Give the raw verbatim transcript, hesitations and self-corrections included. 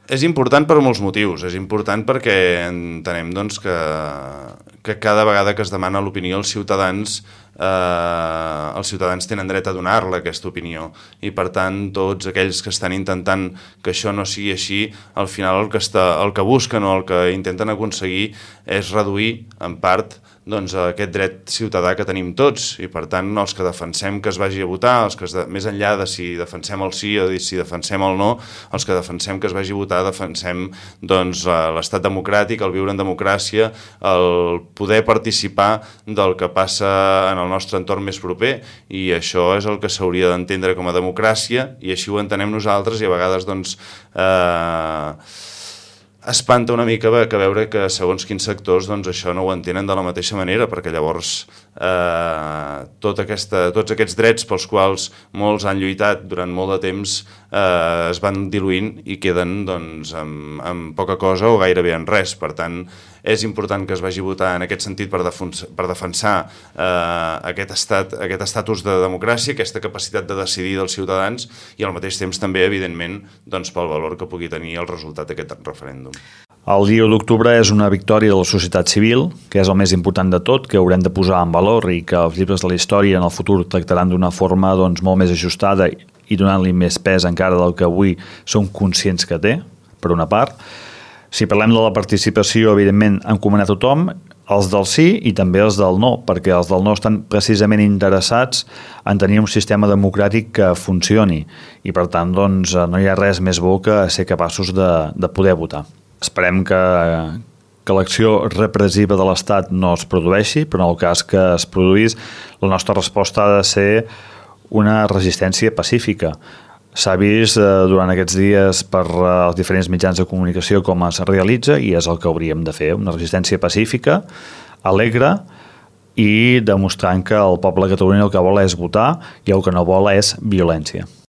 És important per molts motius. És important perquè entenem doncs, que, que cada vegada que es demana l'opinió als ciutadans, eh, els ciutadans tenen dret a donar-la aquesta opinió, i per tant tots aquells que estan intentant que això no sigui així, al final el que, està, el que busquen o el que intenten aconseguir és reduir en part doncs, aquest dret ciutadà que tenim tots, i per tant els que defensem que es vagi a votar, els que de, més enllà de si defensem el sí o si defensem el no, els que defensem que es vagi a votar defensem doncs, l'estat democràtic, el viure en democràcia, el poder participar del que passa en el nostre entorn més proper, i això és el que s'hauria d'entendre com a democràcia, i així ho entenem nosaltres, i a vegades doncs eh, espanta una mica que veure que segons quins sectors doncs, això no ho entenen de la mateixa manera, perquè llavors eh, tot aquesta, tots aquests drets pels quals molts han lluitat durant molt de temps eh, es van diluint i queden doncs, amb, amb poca cosa o gairebé en res. Per tant, és important que es vagi a votar en aquest sentit per, defensar, per defensar eh, aquest, estat, aquest estatus de democràcia, aquesta capacitat de decidir dels ciutadans, i al mateix temps també, evidentment, doncs, pel valor que pugui tenir el resultat d'aquest referèndum. El dia u d'octubre és una victòria de la societat civil, que és el més important de tot, que haurem de posar en valor i que els llibres de la història en el futur tractaran d'una forma doncs, molt més ajustada i donant-li més pes encara del que avui som conscients que té, per una part. Si parlem de la participació, evidentment, encomanar a tothom, els del sí i també els del no, perquè els del no estan precisament interessats en tenir un sistema democràtic que funcioni, i per tant doncs, no hi ha res més bo que ser capaços de, de poder votar. Esperem que, que l'acció repressiva de l'Estat no es produeixi, però en el cas que es produís, la nostra resposta ha de ser una resistència pacífica. S'ha vist eh, durant aquests dies per eh, els diferents mitjans de comunicació com es realitza, i és el que hauríem de fer, una resistència pacífica, alegre, i demostrant que el poble de Catalunya el que vol és votar i el que no vol és violència.